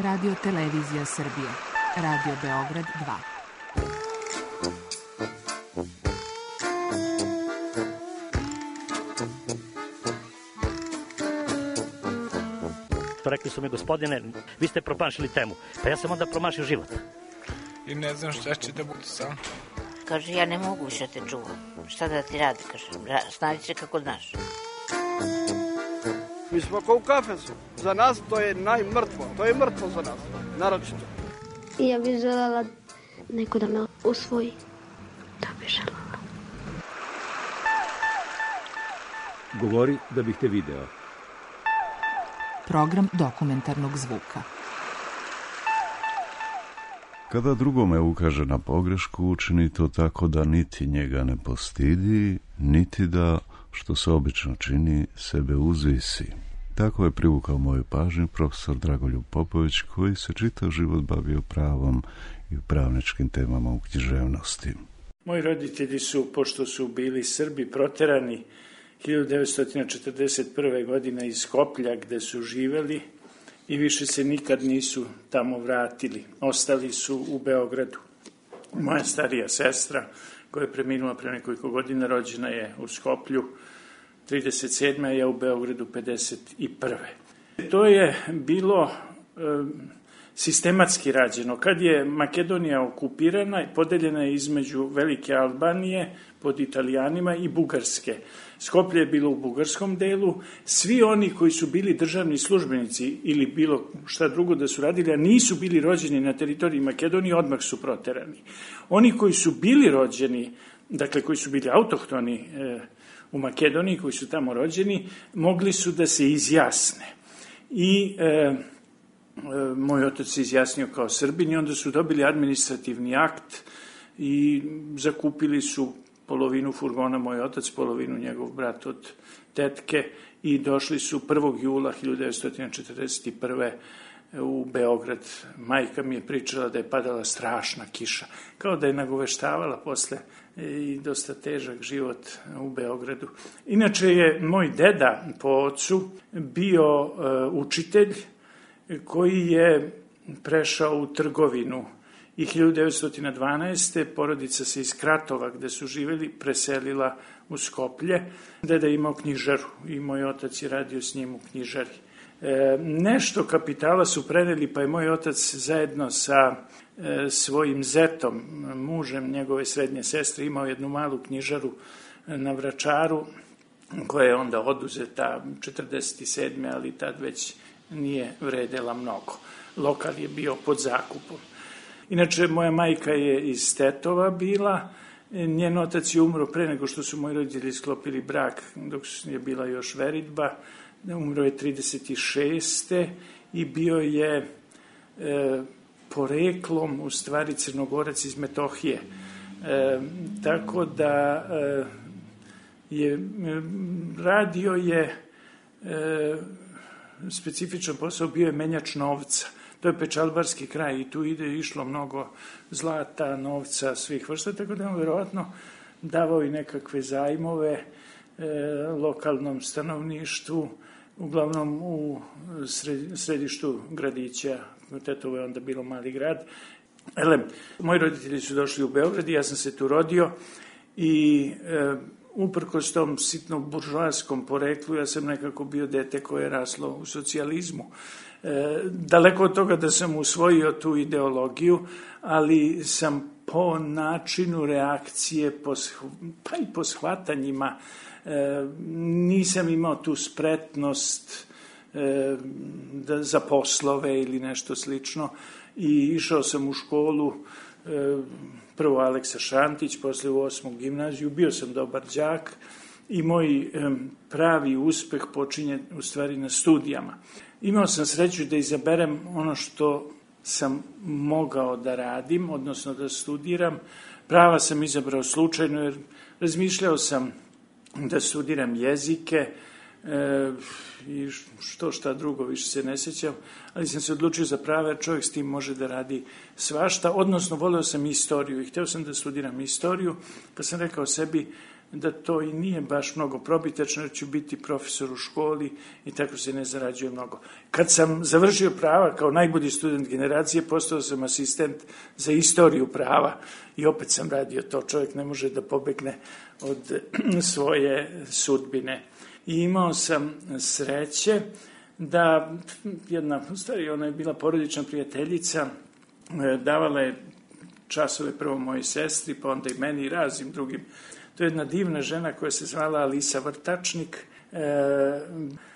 Radio Televizija Srbije. Radio Beograd 2. Rekli su mi, gospodine, vi ste promašili temu. Pa ja sam onda promašio život. I ne znam šta će da bude sam. Kaže, ja ne mogu više te čuvam. Šta da ti radi? Kaže, snađi se kako znaš. Mi smo kao u kafesu. Za nas to je najmrtvo. To je mrtvo za nas. Naročito. I ja bih želela neko da me usvoji. Da bih želela. Govori da bih te video. Program dokumentarnog zvuka. Kada drugome ukaže na pogrešku, učini to tako da niti njega ne postidi, niti da, što se obično čini, sebe uzvisi. Tako je privukao moju pažnju profesor Dragoljub Popović, koji se čitav život bavio pravom i pravničkim temama u književnosti. Moji roditelji su, pošto su bili Srbi, proterani 1941. godine iz Skoplja, gde su živeli, i više se nikad nisu tamo vratili. Ostali su u Beogradu. Moja starija sestra, koja je preminula pre nekoliko godina, rođena je u Skoplju 37. a ja u Beogradu 51. To je bilo sistematski rađeno. Kad je Makedonija okupirana, podeljena je između Velike Albanije pod Italijanima i Bugarske. Skoplje je bilo u bugarskom delu. Svi oni koji su bili državni službenici ili bilo šta drugo da su radili, a nisu bili rođeni na teritoriji Makedonije, odmah su proterani. Oni koji su bili rođeni, dakle koji su bili autohtoni u Makedoniji, koji su tamo rođeni, mogli su da se izjasne. I moj otac se izjasnio kao Srbin i onda su dobili administrativni akt i zakupili su polovinu furgona moj otac, polovinu njegov brat od tetke i došli su 1. jula 1941. u Beograd. Majka mi je pričala da je padala strašna kiša, kao da je nagoveštavala posle i dosta težak život u Beogradu. Inače je moj deda po ocu bio učitelj koji je prešao u trgovinu i 1912. porodica se iz Kratova, gde su živjeli, preselila u Skoplje. Deda je imao knjižaru i moj otac je radio s njim u knjižari. Nešto kapitala su preneli, pa je moj otac zajedno sa svojim zetom, mužem njegove srednje sestre, imao jednu malu knjižaru na Vračaru, koja je onda oduzeta 1947. ali tad već nije vredela mnogo. Lokal je bio pod zakupom. Inače, moja majka je iz Tetova bila, njen otac je umro pre nego što su moji roditelji sklopili brak, dok je bila još veritba, umro je 36. i bio je poreklom, u stvari, Crnogorac iz Metohije. Tako da radio je specifičan posao, bio je menjač novca. To je Pečalbarski kraj i tu išlo mnogo zlata, novca, svih vrsta, tako da je on verovatno davao i nekakve zajmove lokalnom stanovništvu, uglavnom u središtu gradića. Tetovo je onda bilo mali grad. Moji roditelji su došli u Beograd i ja sam se tu rodio i uprkos tom sitnom buržoaskom poreklu, ja sam nekako bio dete koje je raslo u socijalizmu. Daleko od toga da sam usvojio tu ideologiju, ali sam po načinu reakcije, pa i po shvatanjima, nisam imao tu spretnost za poslove ili nešto slično i išao sam u školu, prvo Aleksa Šantić, posle u 8. gimnaziju, bio sam dobar đak i moj pravi uspeh počinje u stvari na studijama. Imao sam sreću da izaberem ono što sam mogao da radim, odnosno da studiram. Prava sam izabrao slučajno jer razmišljao sam da studiram jezike i šta drugo, više se ne sjećam, ali sam se odlučio za prava jer čovjek s tim može da radi svašta, odnosno voleo sam istoriju i hteo sam da studiram istoriju, kad sam rekao sebi da to i nije baš mnogo probitačno, jer ću biti profesor u školi i tako se ne zarađuje mnogo. Kad sam završio prava kao najbolji student generacije, postao sam asistent za istoriju prava i opet sam radio to. Čovjek ne može da pobegne od svoje sudbine. I imao sam sreće da jedna, u stvari ona je bila porodična prijateljica, davala je časove prvo mojoj sestri, pa onda i meni i raznim drugim. To je jedna divna žena koja se zvala Alisa Vrtačnik.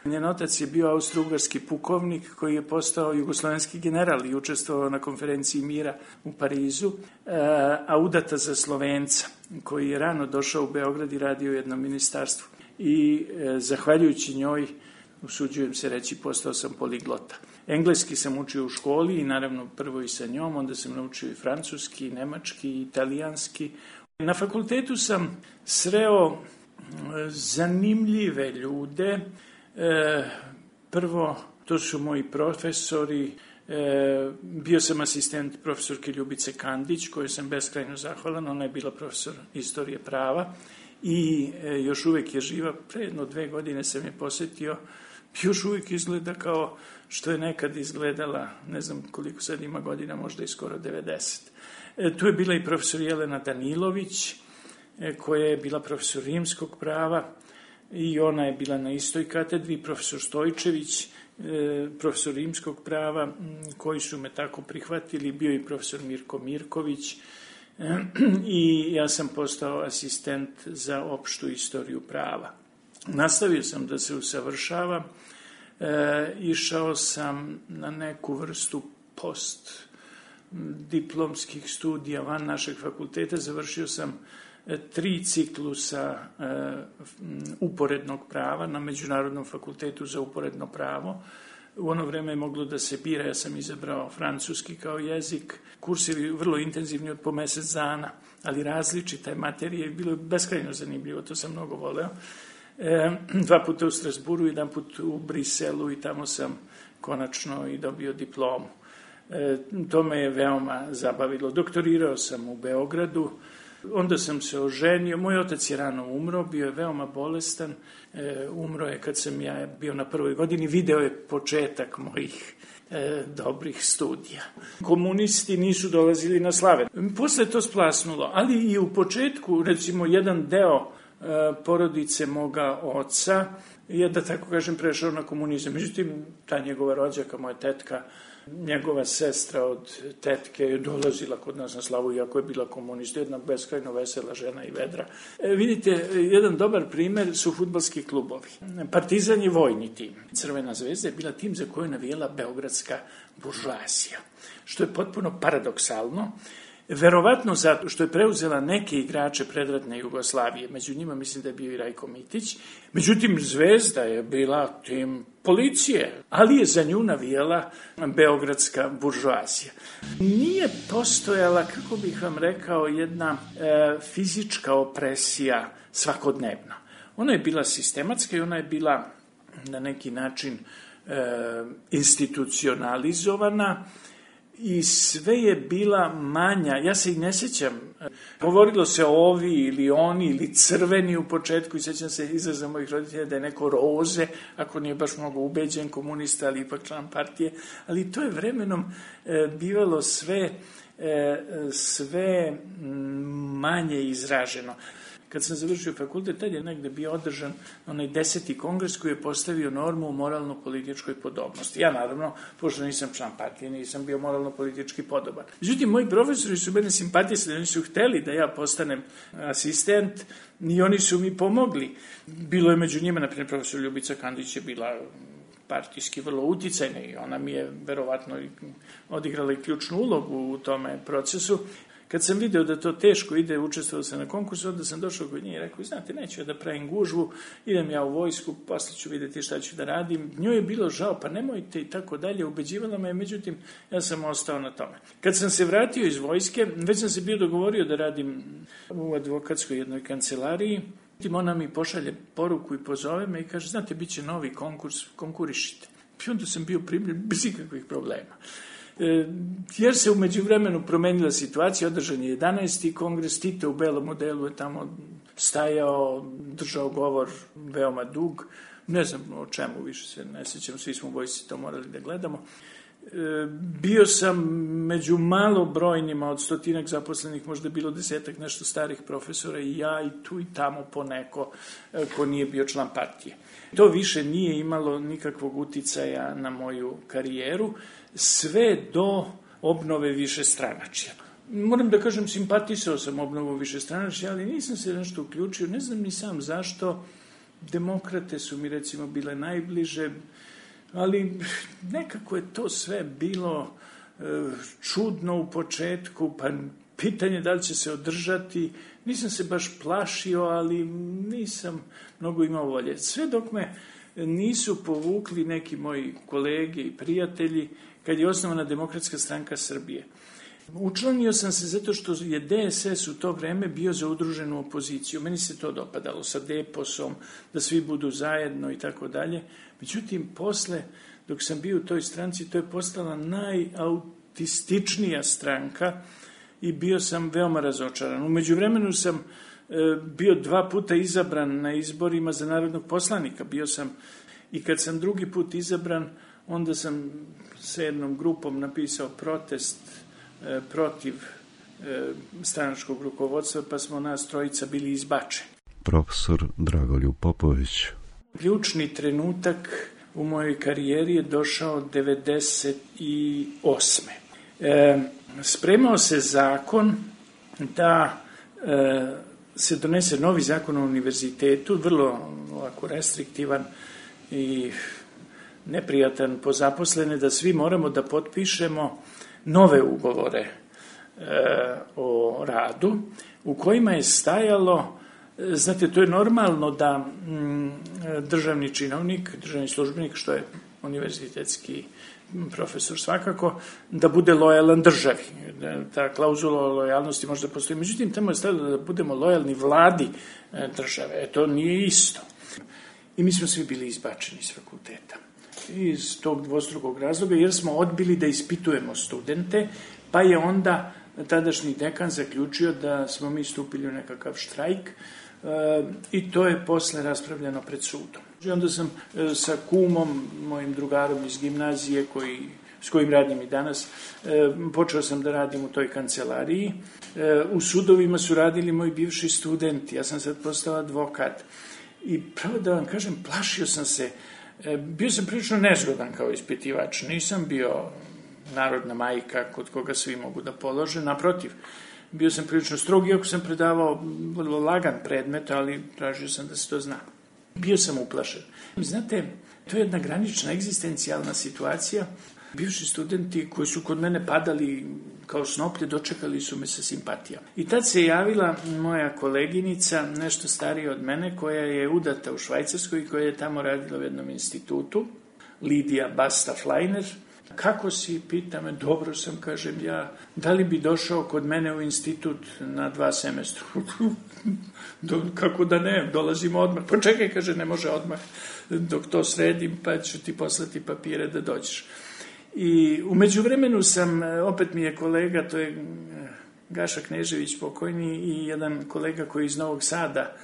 Njen otac je bio austro-ugarski pukovnik koji je postao jugoslovenski general i učestvovao na konferenciji mira u Parizu, a udata za Slovenca koji je rano došao u Beograd i radio u jednom ministarstvu. I zahvaljujući njoj, usuđujem se reći, postao sam poliglota. Engleski sam učio u školi i naravno prvo i sa njom, onda sam naučio i francuski, i nemački, i italijanski. Na fakultetu sam sreo zanimljive ljude. Prvo, to su moji profesori. Bio sam asistent profesorke Ljubice Kandić, kojoj sam beskrajno zahvalan. Ona je bila profesor istorije prava i još uvek je živa. Pre 1-2 godine sam je posetio. Još uvijek izgleda kao što je nekad izgledala, ne znam koliko sad ima godina, možda i skoro 90. Tu je bila i profesor Jelena Danilović, koja je bila profesor rimskog prava i ona je bila na istoj katedri, profesor Stojčević, profesor rimskog prava, koji su me tako prihvatili, bio i profesor Mirko Mirković i ja sam postao asistent za opštu istoriju prava. Nastavio sam da se usavršavam, išao sam na neku vrstu postdiplomskih studija van našeg fakulteta, završio sam 3 ciklusa uporednog prava na Međunarodnom fakultetu za uporedno pravo. U ono vreme je moglo da se bira, ja sam izabrao francuski kao jezik. Kursevi vrlo intenzivni od po mesec dana, ali različita je materija i bilo je beskrajno zanimljivo, to sam mnogo voleo. 2 puta u Strasburu, 1 put u Briselu i tamo sam konačno i dobio diplomu. To me je veoma zabavilo. Doktorirao sam u Beogradu, onda sam se oženio. Moj otac je rano umro, bio je veoma bolestan. Umro je kad sam ja bio na 1. godini, video je početak mojih dobrih studija. Komunisti nisu dolazili na slave. Posle to splasnulo, ali i u početku, recimo, jedan deo porodice moga oca je, da tako kažem, prešao na komunizam. Međutim, ta njegova rođaka, moja tetka, njegova sestra od tetke je dolazila kod nas na slavu, iako je bila komunista, jedna beskrajno vesela žena i vedra. Vidite, jedan dobar primer su fudbalski klubovi. Partizan je vojni tim. Crvena zvezda je bila tim za koju je navijela beogradska buržoazija, što je potpuno paradoksalno. Verovatno zato što je preuzela neke igrače predratne Jugoslavije, među njima mislim da je bio i Rajko Mitić. Međutim, Zvezda je bila tim policije, ali je za nju navijala beogradska buržoazija. Nije postojala, kako bih vam rekao, jedna fizička opresija svakodnevna. Ona je bila sistematska i ona je bila na neki način institucionalizovana, i sve je bila manja. Ja se i ne sjećam. Govorilo se ovi ili oni ili crveni u početku i sjećam se izraza mojih roditelja da je neko roze, ako nije baš mnogo ubeđen komunista, ali ipak član partije. Ali to je vremenom bivalo sve manje izraženo. Kad sam završio fakultet, tad je negde bio održan onaj 10. kongres koji je postavio normu o moralno-političkoj podobnosti. Ja, naravno, pošto nisam član partije, nisam bio moralno-politički podoban. Međutim, moji profesori su mene simpatisali, oni su hteli da ja postanem asistent i oni su mi pomogli. Bilo je među njima, na primjer, profesor Ljubica Kandić je bila partijski vrlo uticajna i ona mi je verovatno odigrala i ključnu ulogu u tome procesu. Kad sam video da to teško ide, učestvovao sam na konkursu, onda sam došao kod nje i rekao, znate, neću ja da pravim gužvu, idem ja u vojsku, posle ću vidjeti šta ću da radim. Njoj je bilo žao, pa nemojte i tako dalje, ubeđivala me, međutim, ja sam ostao na tome. Kad sam se vratio iz vojske, već sam se bio dogovorio da radim u advokatskoj jednoj kancelariji, ona mi pošalje poruku i pozove me i kaže, znate, bit će novi konkurs, konkurišite. I onda sam bio primljen bez ikakvih problema. Jer se umeđu vremenu promenila situacija, održan je 11. kongres, Tito u belom modelu je tamo stajao, držao govor veoma dug, ne znam o čemu, više se ne sjećam, svi smo u vojsci to morali da gledamo. Bio sam među malobrojnima od 100 zaposlenih, možda je bilo 10 nešto starih profesora i ja i tu i tamo poneko ko nije bio član partije. To više nije imalo nikakvog uticaja na moju karijeru, sve do obnove višestranačja. Moram da kažem, simpatisao sam obnovu višestranačja, ali nisam se nešto uključio, ne znam ni sam zašto. Demokrate su mi recimo bile najbliže, ali nekako je to sve bilo čudno u početku, pa pitanje da li će se održati, nisam se baš plašio, ali nisam mnogo imao volje. Sve dok me nisu povukli neki moji kolege i prijatelji kad je osnovana Demokratska stranka Srbije. Učlanio sam se zato što je DSS u to vreme bio za udruženu opoziciju. Meni se to dopadalo sa Deposom, da svi budu zajedno i tako dalje. Međutim, posle, dok sam bio u toj stranci, to je postala najautističnija stranka i bio sam veoma razočaran. U međuvremenu sam bio 2 puta izabran na izborima za narodnog poslanika. Bio sam, i kad sam drugi put izabran, onda sam sa jednom grupom napisao protest protiv stranačkog rukovodstva, pa smo nas 3 bili izbačeni. Profesor Dragoljub Popović. Ključni trenutak u mojoj karijeri je došao 1998. Spremao se zakon da se donese novi zakon o univerzitetu, vrlo ovako restriktivan i neprijatan po zaposlene, da svi moramo da potpišemo nove ugovore o radu, u kojima je stajalo, znate, to je normalno da državni činovnik, državni službenik, što je univerzitetski profesor svakako, da bude lojalan državi. Ta klauzula o lojalnosti možda postoji. Međutim, tamo je stajalo da budemo lojalni vladi države. To nije isto. I mi smo svi bili izbačeni iz fakulteta. Iz tog dvostrukog razloga, jer smo odbili da ispitujemo studente, pa je onda tadašnji dekan zaključio da smo mi stupili u nekakav štrajk i to je posle raspravljeno pred sudom. I onda sam sa kumom, mojim drugarom iz gimnazije, s kojim radim i danas, počeo sam da radim u toj kancelariji. U sudovima su radili moji bivši studenti, ja sam sad postao advokat. I pravo da vam kažem, plašio sam se. Bio sam prilično nezgodan kao ispitivač, nisam bio narodna majka kod koga svi mogu da polože, naprotiv, bio sam prilično strog, iako sam predavao vrlo lagan predmet, ali tražio sam da se to zna. Bio sam uplašen. Znate, to je jedna granična egzistencijalna situacija. Bivši studenti koji su kod mene padali kao snoplje, dočekali su me sa simpatijama. I tad se javila moja koleginica, nešto starija od mene, koja je udata u Švajcarskoj i koja je tamo radila u jednom institutu, Lidija Basta-Fleiner. Kako si, pita me, dobro sam, kažem ja, da li bi došao kod mene u institut na 2 semestra? Kako da ne, dolazimo odmah. Pa čekaj, kaže, ne može odmah, dok to sredim, pa ću ti poslati papire da dođeš. I u međuvremenu sam, opet mi je kolega, to je Gaša Knežević pokojni i jedan kolega koji je iz Novog Sada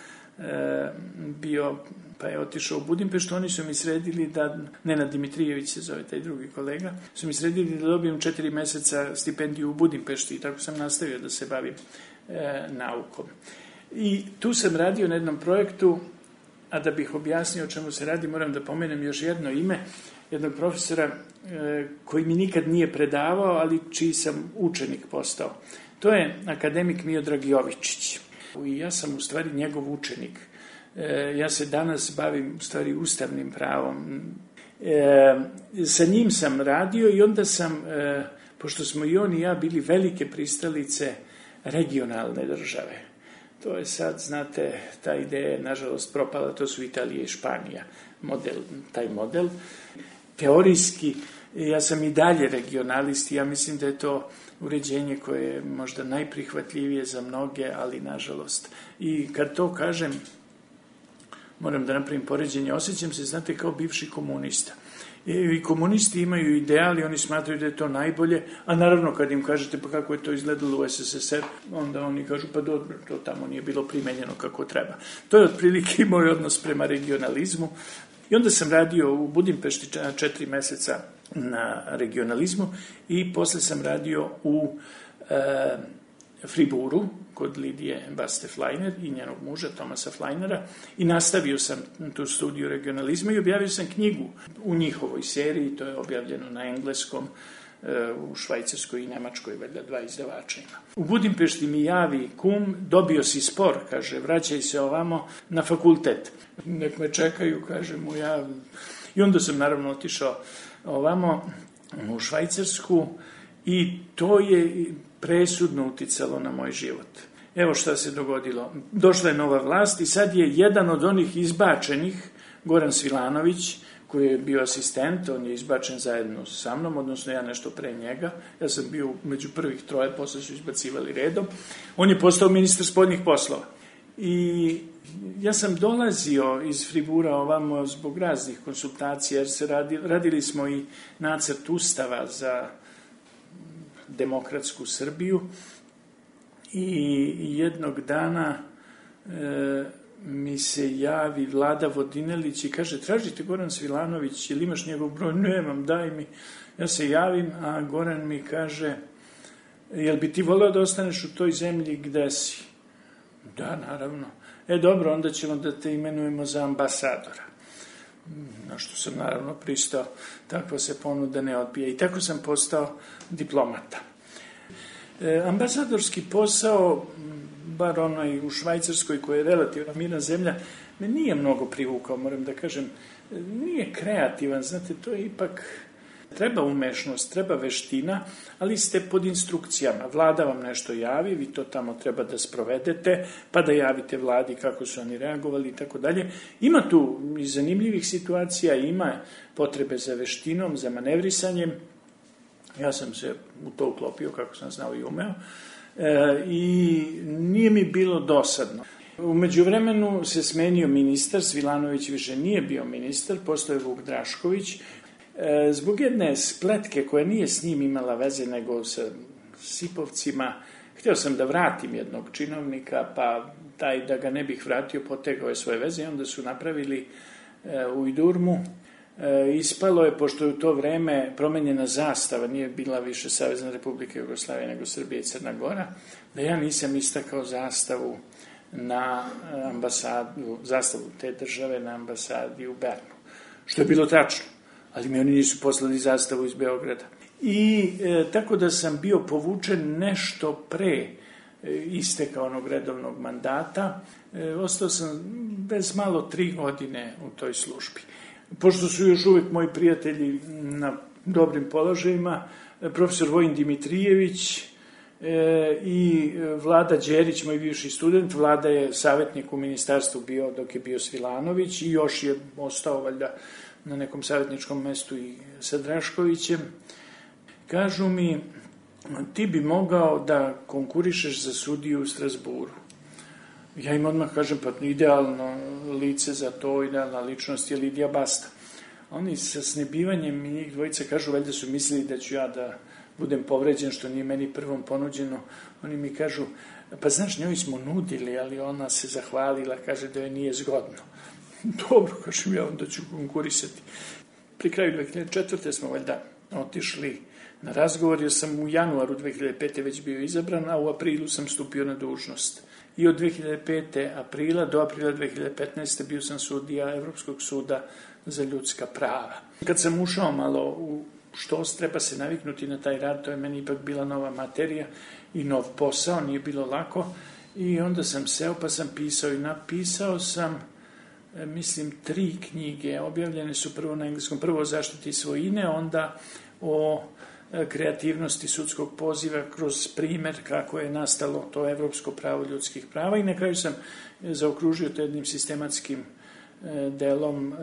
bio, pa je otišao u Budimpeštu, oni su mi sredili da, Nenad Dimitrijević se zove taj drugi kolega, su mi sredili da dobijem 4 meseca stipendiju u Budimpešti i tako sam nastavio da se bavim naukom. I tu sam radio na jednom projektu, a da bih objasnio o čemu se radi, moram da pomenem još jedno ime, jednog profesora koji mi nikad nije predavao, ali čiji sam učenik postao. To je akademik Miodrag Jovičić. I ja sam u stvari njegov učenik. Ja se danas bavim u stvari ustavnim pravom. Sa njim sam radio i onda sam, pošto smo i on i ja bili velike pristalice regionalne države. To je sad, znate, ta ideja je nažalost propala, to su Italija i Španija, taj model. Teorijski, ja sam i dalje regionalist i ja mislim da je to uređenje koje je možda najprihvatljivije za mnoge, ali nažalost. I kad to kažem, moram da napravim poređenje, osjećam se, znate, kao bivši komunista. I komunisti imaju ideali, oni smatraju da je to najbolje, a naravno kad im kažete pa kako je to izgledalo u SSSR, onda oni kažu pa dobro, to tamo nije bilo primenjeno kako treba. To je otprilike moj odnos prema regionalizmu. I onda sam radio u Budimpešti 4 meseca na regionalizmu i posle sam radio u Friburu kod Lidije Baste Flajner i njenog muža Tomasa Flajnera i nastavio sam tu studiju regionalizma i objavio sam knjigu u njihovoj seriji, to je objavljeno na engleskom, u Švajcarskoj i Nemačkoj, valjda 2 izdavača ima. U Budimpešti mi javi kum, dobio si spor, kaže, vraćaj se ovamo na fakultet. Nek me čekaju, kaže mu ja. I onda sam naravno otišao ovamo u Švajcarsku i to je presudno uticalo na moj život. Evo šta se dogodilo. Došla je nova vlast i sad je jedan od onih izbačenih, Goran Svilanović, koji je bio asistent, on je izbačen zajedno sa mnom, odnosno ja nešto pre njega. Ja sam bio među prvih 3, posle su izbacivali redom. On je postao ministar spoljnih poslova. I ja sam dolazio iz Fribura ovamo zbog raznih konsultacija, jer se radili smo i nacrt ustava za demokratsku Srbiju i jednog dana mi se javi Vlada Vodinelić i kaže, tražite Goran Svilanović, ili imaš njegov broj? Nemam, daj mi. Ja se javim, a Goran mi kaže, jel bi ti voleo da ostaneš u toj zemlji gde si? Da, naravno. Dobro, onda ćemo da te imenujemo za ambasadora. Na što sam naravno pristao, takva se ponuda ne odbija. I tako sam postao diplomata. Ambasadorski posao, bar onaj u Švajcarskoj, koja je relativno mirna zemlja, me nije mnogo privukao, moram da kažem. Nije kreativan, znate, to je ipak... Treba umešnost, treba veština, ali ste pod instrukcijama. Vlada vam nešto javi, vi to tamo treba da sprovedete, pa da javite vladi kako su oni reagovali i tako dalje. Ima tu i zanimljivih situacija, ima potrebe za veštinom, za manevrisanjem. Ja sam se u to uklopio kako sam znao i umeo i nije mi bilo dosadno. U međuvremenu se smenio ministar, Svilanović više nije bio ministar, postao je Vuk Drašković. Zbog jedne spletke koja nije s njim imala veze nego sa Sipovcima, htio sam da vratim jednog činovnika, pa taj da ga ne bih vratio potegao je svoje veze i onda su napravili ujdurmu. Ispalo je, pošto je u to vreme promenjena zastava, nije bila više Savezna Republika Jugoslavije nego Srbija i Crna Gora, da ja nisam istakao zastavu na ambasadu, zastavu te države na ambasadi u Bernu, što je bilo tačno. Ali mi oni nisu poslali zastavu iz Beograda. I tako da sam bio povučen nešto pre isteka onog redovnog mandata. Ostao sam bez malo 3 godine u toj službi. Pošto su još uvek moji prijatelji na dobrim položajima, profesor Vojin Dimitrijević i Vlada Đerić, moj bivši student, Vlada je savjetnik u ministarstvu bio dok je bio Svilanović i još je ostao valjda na nekom savjetničkom mestu i sa Draškovićem, kažu mi, ti bi mogao da konkurišeš za sudiju u Strasburu. Ja im odmah kažem, pa idealno lice za to, idealna ličnost je Lidija Basta. Oni sa snebivanjem i njih dvojica kažu, valjda su mislili da ću ja da budem povređen, što nije meni prvom ponuđeno. Oni mi kažu, pa znaš, njoj smo nudili, ali ona se zahvalila, kaže da joj nije zgodno. Dobro, kažem ja, onda ću konkurisati. Pri kraju 2004. smo valjda otišli na razgovor, jer sam u januaru 2005. već bio izabran, a u aprilu sam stupio na dužnost. I od 2005. aprila do aprila 2015. bio sam sudija Evropskog suda za ljudska prava. Kad sam ušao malo u štos, treba se naviknuti na taj rad, to je meni ipak bila nova materija i nov posao, nije bilo lako. I onda sam seo pa sam pisao i napisao sam, mislim, 3 knjige. Objavljene su prvo na engleskom, prvo o zaštiti svojine, onda o kreativnosti sudskog poziva kroz primer kako je nastalo to evropsko pravo ljudskih prava i na kraju sam zaokružio to jednim sistematskim delom,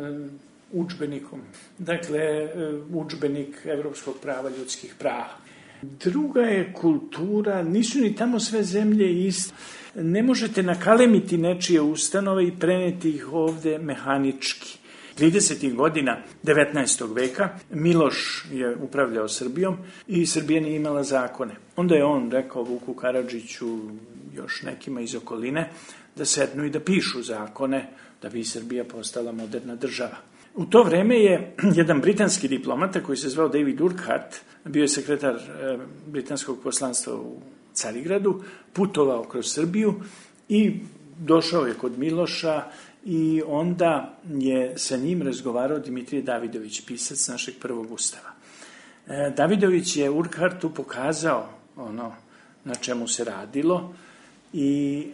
udžbenikom. Dakle, udžbenik evropskog prava ljudskih prava. Druga je kultura, nisu ni tamo sve zemlje iste. Ne možete nakalemiti nečije ustanove i preneti ih ovde mehanički. 30. godina 19. veka Miloš je upravljao Srbijom i Srbija nije imala zakone. Onda je on rekao Vuku Karadžiću, još nekima iz okoline, da sednu i da pišu zakone da bi Srbija postala moderna država. U to vreme je jedan britanski diplomata koji se zvao David Urquhart, bio je sekretar britanskog poslanstva u Carigradu, putovao kroz Srbiju i došao je kod Miloša i onda je sa njim razgovarao Dimitrije Davidović, pisac našeg prvog ustava. Davidović je Urquhartu pokazao ono na čemu se radilo i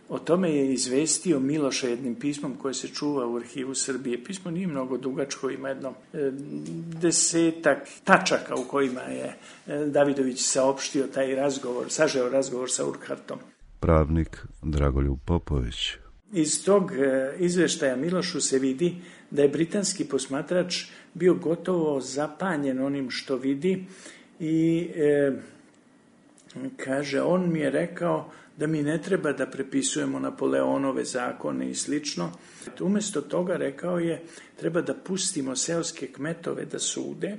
o tome je izvestio Miloša jednim pismom koje se čuva u arhivu Srbije. Pismo nije mnogo dugačko, ima jedno 10 tačaka u kojima je Davidović saopštio taj razgovor, sažeo razgovor sa Urquhartom. Pravnik Dragoljub Popović. Iz tog izveštaja Milošu se vidi da je britanski posmatrač bio gotovo zapanjen onim što vidi i kaže, on mi je rekao da mi ne treba da prepisujemo Napoleonove zakone i slično. Umesto toga, rekao je, treba da pustimo seoske kmetove da sude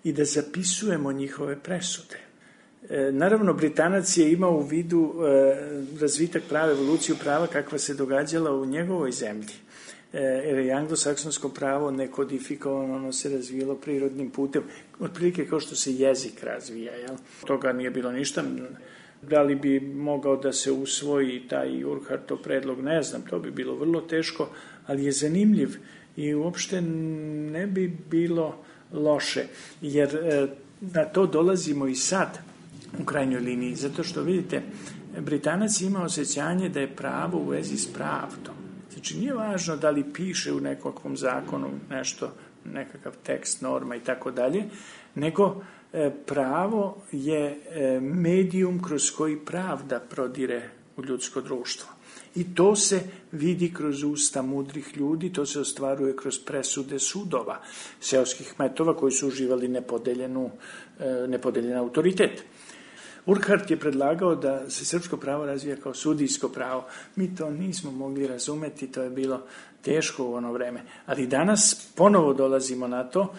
i da zapisujemo njihove presude. Naravno, Britanac je imao u vidu razvitak prava, evoluciju prava kakva se događala u njegovoj zemlji. Jer je anglosaksonsko pravo nekodifikovano, ono se razvijelo prirodnim putem, otprilike kao što se jezik razvija. Jel? Toga nije bilo ništa. Da li bi mogao da se usvoji taj Urquhartov predlog, ne znam, to bi bilo vrlo teško, ali je zanimljiv i uopšte ne bi bilo loše, jer na to dolazimo i sad u krajnjoj liniji, zato što vidite, Britanac ima osjećanje da je pravo u vezi s pravdom. Znači, nije važno da li piše u nekakvom zakonu nešto, nekakav tekst, norma i tako dalje, nego pravo je medijum kroz koji pravda prodire u ljudsko društvo. I to se vidi kroz usta mudrih ljudi, to se ostvaruje kroz presude sudova, seoskih kmetova koji su uživali nepodeljen autoritet. Urquhart je predlagao da se srpsko pravo razvija kao sudijsko pravo. Mi to nismo mogli razumeti, to je bilo teško u ono vreme. Ali danas ponovo dolazimo na to.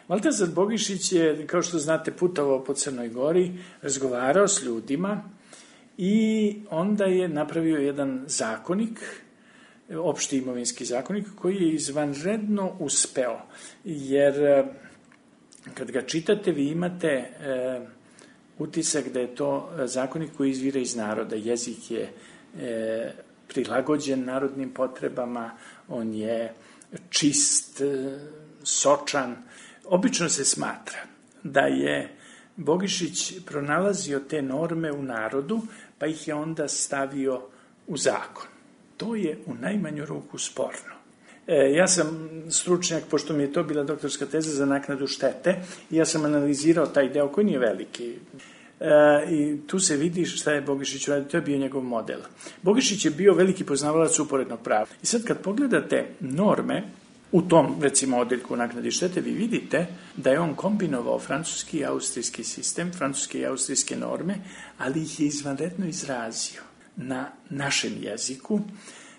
Valtazar Bogišić je, kao što znate, putovao po Crnoj Gori, razgovarao s ljudima i onda je napravio jedan zakonik, opšti imovinski zakonik, koji je izvanredno uspeo. Jer kad ga čitate, vi imate utisak da je to zakonik koji izvira iz naroda. Jezik je prilagođen narodnim potrebama, on je čist, sočan. Obično se smatra da je Bogišić pronalazio te norme u narodu, pa ih je onda stavio u zakon. To je u najmanju ruku sporno. Ja sam stručnjak, pošto mi je to bila doktorska teza za naknadu štete, i ja sam analizirao taj deo koji nije veliki. I tu se vidi šta je Bogišić uradio, to je bio njegov model. Bogišić je bio veliki poznavalac uporednog prava. I sad kad pogledate norme u tom, recimo, odeljku naknadi štete, vi vidite da je on kombinovao francuski i austrijski sistem, francuske i austrijske norme, ali ih je izvanredno izrazio na našem jeziku,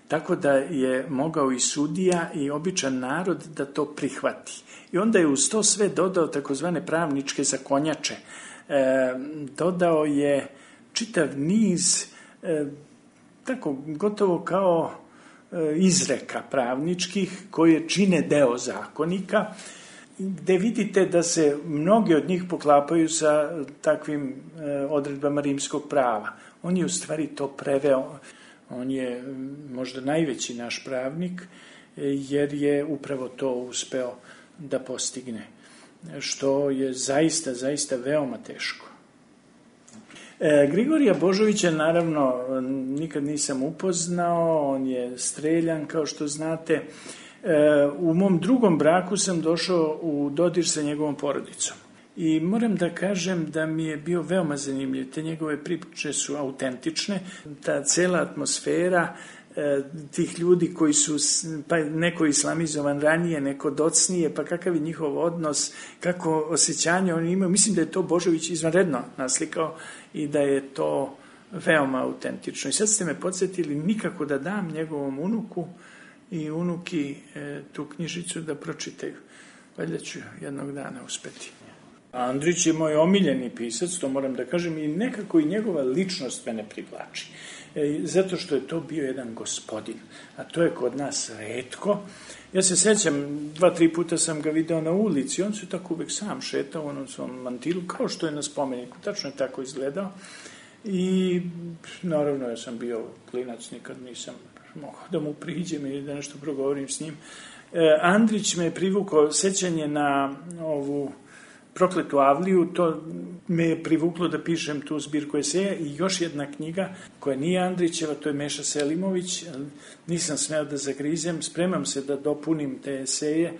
tako da je mogao i sudija i običan narod da to prihvati. I onda je uz to sve dodao takozvane pravničke zakonjače. Dodao je čitav niz, tako gotovo kao izreka pravničkih koje čine deo zakonika, gde vidite da se mnogi od njih poklapaju sa takvim odredbama rimskog prava. On je u stvari to preveo. On je možda najveći naš pravnik, jer je upravo to uspeo da postigne, što je zaista, zaista veoma teško. Grigorija Božovića, naravno, nikad nisam upoznao, on je streljan, kao što znate. U mom drugom braku sam došao u dodir sa njegovom porodicom. I moram da kažem da mi je bio veoma zanimljiv. Te njegove priče su autentične. Ta cela atmosfera tih ljudi koji su, pa neko islamizovan ranije, neko docnije, pa kakav je njihov odnos, kako osjećanje oni imaju. Mislim da je to Božović izvanredno naslikao i da je to veoma autentično. I sad ste me podsjetili nikako da dam njegovom unuku i unuki tu knjižicu da pročitaju. Valjda ću jednog dana uspeti. Andrić je moj omiljeni pisac, to moram da kažem, i nekako i njegova ličnost mene privlači. Zato što je to bio jedan gospodin, a to je kod nas retko. Ja se sećam, 2-3 puta sam ga video na ulici, on se tako uvek sam šetao u onom svom mantilu, kao što je na spomeniku, tačno je tako izgledao. I naravno ja sam bio klinac, nikad nisam mogao da mu priđem ili da nešto progovorim s njim. Andrić me je privukao, sećanje na ovu Prokletu Avliju, to me je privuklo da pišem tu zbirku eseja i još jedna knjiga koja nije Andrićeva, to je Meša Selimović, nisam smeo da zagrizem, spremam se da dopunim te eseje.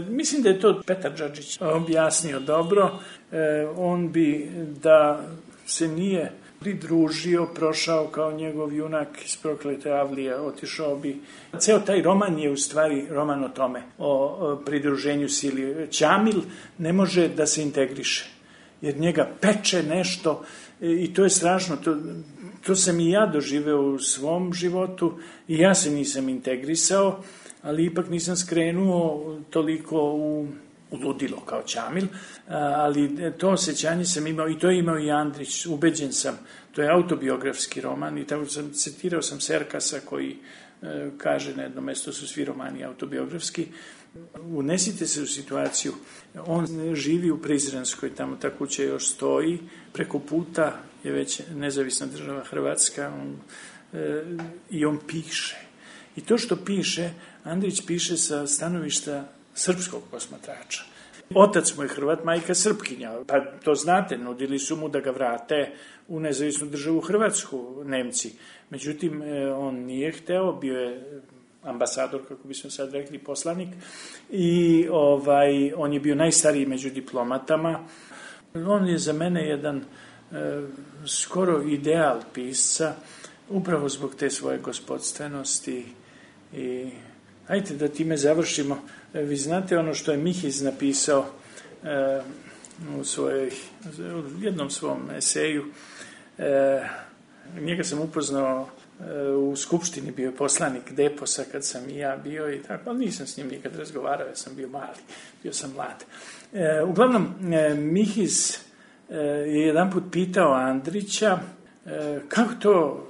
Mislim da je to Petar Džadžić objasnio dobro, on bi da se nije pridružio, prošao kao njegov junak iz Proklete Avlije, otišao bi. Ceo taj roman je u stvari roman o tome, o pridruženju sili. Ćamil ne može da se integriše, jer njega peče nešto i to je strašno. To sam i ja doživeo u svom životu i ja se nisam integrisao, ali ipak nisam skrenuo toliko u ludilo kao Ćamil, ali to osjećanje sam imao i to je imao i Andrić, ubeđen sam. To je autobiografski roman i tako citirao sam Serkasa koji kaže na jednom mestu su svi romani autobiografski. Unesite se u situaciju, on živi u Prizrenskoj, tamo ta kuća još stoji, preko puta je već nezavisna država Hrvatska i on piše. I to što piše, Andrić piše sa stanovišta srpskog posmatrača. Otac mu je Hrvat, majka Srpkinja, pa to znate, nudili su mu da ga vrate u nezavisnu državu Hrvatsku, Nemci. Međutim, on nije hteo, bio je ambasador, kako bismo sad rekli, poslanik, i on je bio najstariji među diplomatama. On je za mene jedan skoro ideal pisca, upravo zbog te svoje gospodstvenosti i hajde da time završimo. Vi znate ono što je Mihiz napisao u jednom svom eseju. Njega sam upoznao u Skupštini, bio je poslanik Deposa kad sam i ja bio i tako, ali nisam s njim nikad razgovarao, ja sam bio mali, bio sam mlad. Uglavnom, Mihiz je jedan put pitao Andrića kako to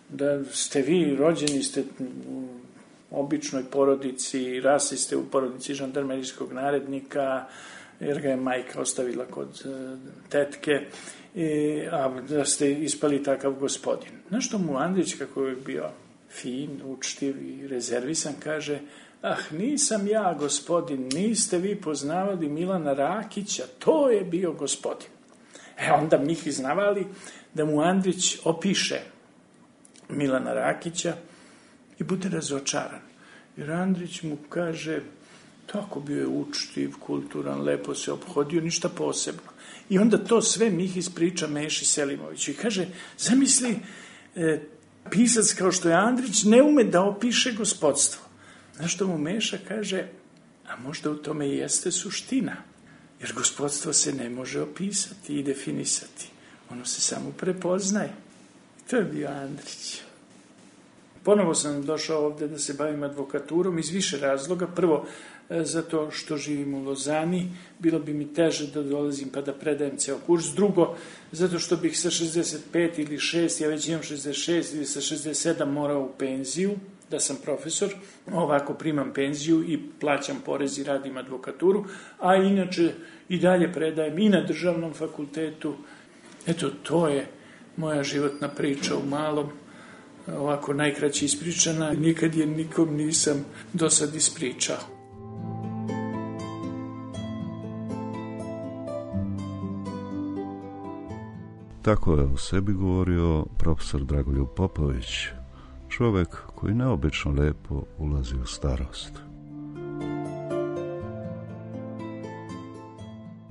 da ste vi rođeni, ste u običnoj porodici, rasli ste u porodici žandarmerijskog narednika, jer ga je majka ostavila kod tetke, a da ste ispali takav gospodin. Znaš što mu Andrić, kako je bio fin, učtiv i rezervisan, kaže, nisam ja gospodin, niste vi poznavali Milana Rakića, to je bio gospodin. Onda Mihiz navali da mu Andrić opiše Milana Rakića i bude razočaran. Jer Andrić mu kaže, tako bio je učtiv, kulturan, lepo se ophodio, ništa posebno. I onda to sve Mihiz priča Meši Selimoviću i kaže, zamisli, pisac kao što je Andrić ne ume da opiše gospodstvo. Znaš što mu Meša kaže, a možda u tome i jeste suština, jer gospodstvo se ne može opisati i definisati. Ono se samo prepoznaje. To je bio Andrić. Ponovo sam došao ovde da se bavim advokaturom iz više razloga. Prvo, zato što živim u Lozani, bilo bi mi teže da dolazim pa da predajem ceo kurs. Drugo, zato što bih sa 65 ili 6, ja već imam 66 ili sa 67 morao u penziju, da sam profesor, ovako primam penziju i plaćam porez i radim advokaturu, a inače i dalje predajem i na državnom fakultetu. Eto, to je moja životna priča u malom, ovako najkraće ispričana, nikad je nikom nisam do sad ispričao. Tako je o sebi govorio profesor Dragoljub Popović, čovek koji neobično lepo ulazi u starost.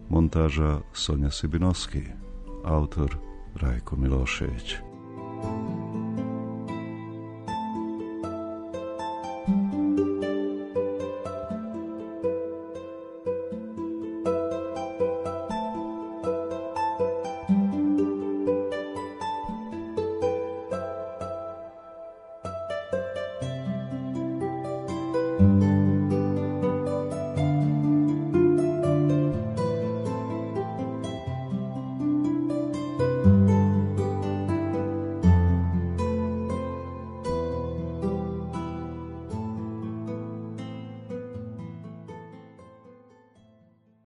Montaža Sonja Sibinovski, autor Rajko Milošević.